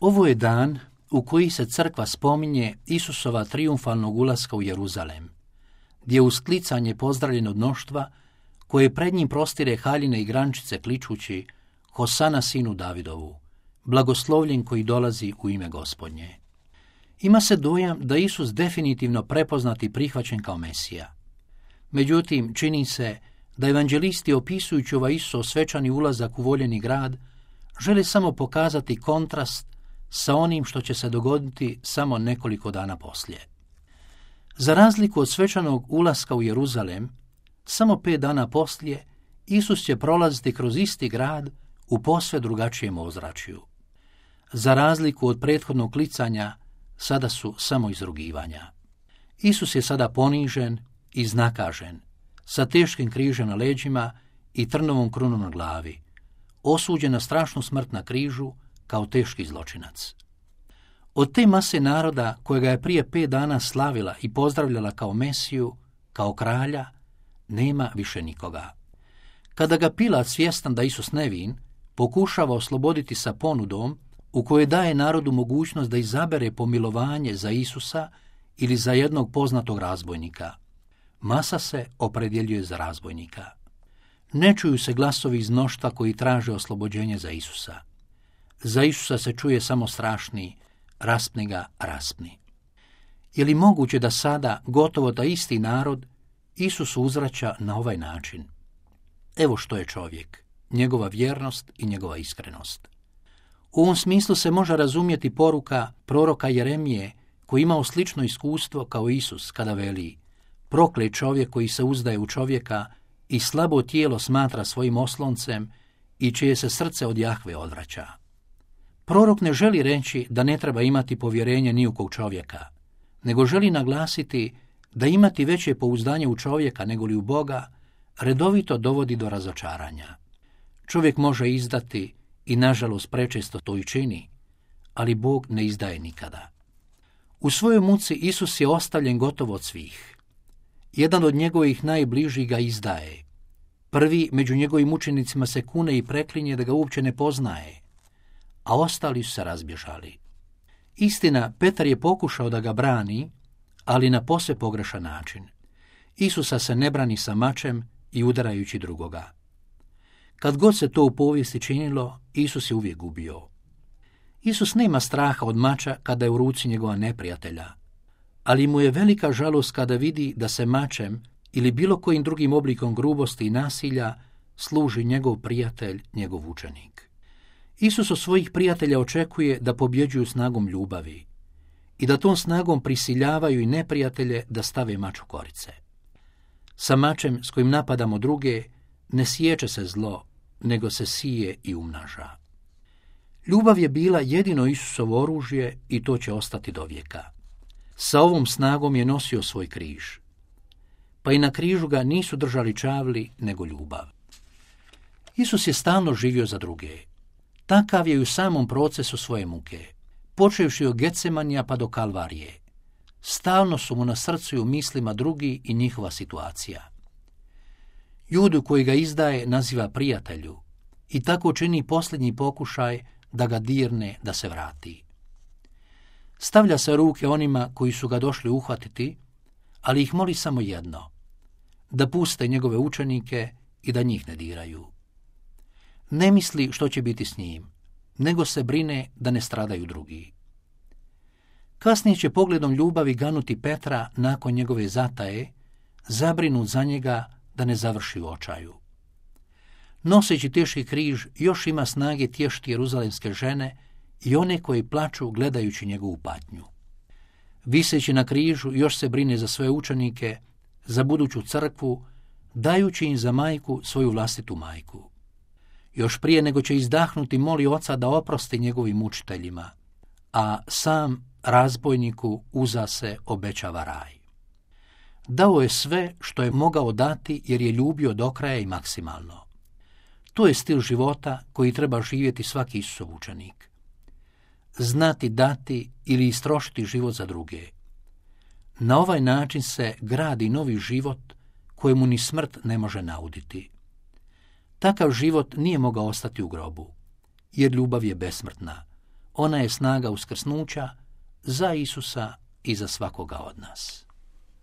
Ovo je dan u koji se crkva spominje Isusova trijumfalnog ulaska u Jeruzalem, gdje je usklicanje pozdravljen od mnoštva koje pred njim prostire haljine i grančice kličući Hosana sinu Davidovu, blagoslovljen koji dolazi u ime Gospodnje. Ima se dojam da Isus definitivno prepoznat i prihvaćen kao Mesija. Međutim, čini se da evanđelisti opisujući ovaj Isusov svečani ulazak u voljeni grad žele samo pokazati kontrast sa onim što će se dogoditi samo nekoliko dana poslije. Za razliku od svečanog ulaska u Jeruzalem, samo 5 dana poslije Isus će prolaziti kroz isti grad u posve drugačijem ozračju. Za razliku od prethodnog klicanja, sada su samo izrugivanja. Isus je sada ponižen i iznakažen, sa teškim križem na leđima i trnovom krunom na glavi, osuđen na strašnu smrt na križu kao teški zločinac. Od te mase naroda kojega je prije 5 dana slavila i pozdravljala kao Mesiju, kao kralja, nema više nikoga. Kada ga Pilat, svjestan da Isus nevin, pokušava osloboditi sa ponudom u kojoj daje narodu mogućnost da izabere pomilovanje za Isusa ili za jednog poznatog razbojnika, masa se opredjeljuje za razbojnika. Ne čuju se glasovi iz mnoštva koji traže oslobođenje za Isusa. Za Isusa se čuje samo strašni, raspni ga, raspni. Je li moguće da sada gotovo da isti narod Isus uzvraća na ovaj način? Evo što je čovjek, njegova vjernost i njegova iskrenost. U ovom smislu se može razumjeti poruka proroka Jeremije koji imao slično iskustvo kao Isus kada veli: proklet čovjek koji se uzdaje u čovjeka i slabo tijelo smatra svojim osloncem i čije se srce od Jahve odvraća. Prorok ne želi reći da ne treba imati povjerenje ni u kog čovjeka, nego želi naglasiti da imati veće pouzdanje u čovjeka nego li u Boga redovito dovodi do razočaranja. Čovjek može izdati i nažalost prečesto to i čini, ali Bog ne izdaje nikada. U svojoj muci Isus je ostavljen gotovo od svih. Jedan od njegovih najbližih ga izdaje. Prvi među njegovim učenicima se kune i preklinje da ga uopće ne poznaje, a ostali su se razbježali. Istina, Petar je pokušao da ga brani, ali na posve pogrešan način. Isusa se ne brani sa mačem i udarajući drugoga. Kad god se to u povijesti činilo, Isus je uvijek gubio. Isus nema straha od mača kada je u ruci njegova neprijatelja, ali mu je velika žalost kada vidi da se mačem ili bilo kojim drugim oblikom grubosti i nasilja služi njegov prijatelj, njegov učenik. Isus od svojih prijatelja očekuje da pobjeđuju snagom ljubavi i da tom snagom prisiljavaju i neprijatelje da stave mač u korice. Sa mačem s kojim napadamo druge ne siječe se zlo, nego se sije i umnaža. Ljubav je bila jedino Isusovo oružje i to će ostati do vijeka. Sa ovom snagom je nosio svoj križ. Pa i na križu ga nisu držali čavli, nego ljubav. Isus je stalno živio za druge. Takav je i u samom procesu svoje muke, počevši od Getsemanija pa do Kalvarije. Stalno su mu na srcu i u mislima drugi i njihova situacija. Judu koji ga izdaje naziva prijatelju i tako čini posljednji pokušaj da ga dirne da se vrati. Stavlja se ruke onima koji su ga došli uhvatiti, ali ih moli samo jedno, da puste njegove učenike i da njih ne diraju. Ne misli što će biti s njim, nego se brine da ne stradaju drugi. Kasnije će pogledom ljubavi ganuti Petra nakon njegove zataje, zabrinut za njega da ne završi u očaju. Noseći teški križ još ima snage tješiti jeruzalemske žene i one koji plaču gledajući njegovu patnju. Viseći na križu još se brine za svoje učenike, za buduću crkvu, dajući im za majku svoju vlastitu majku. Još prije nego će izdahnuti moli oca da oprosti njegovim učiteljima, a sam razbojniku uza se obećava raj. Dao je sve što je mogao dati jer je ljubio do kraja i maksimalno. To je stil života koji treba živjeti svaki Isusov učenik. Znati dati ili istrošiti život za druge. Na ovaj način se gradi novi život kojemu ni smrt ne može nauditi. Takav život nije mogao ostati u grobu, jer ljubav je besmrtna. Ona je snaga uskrsnuća za Isusa i za svakoga od nas.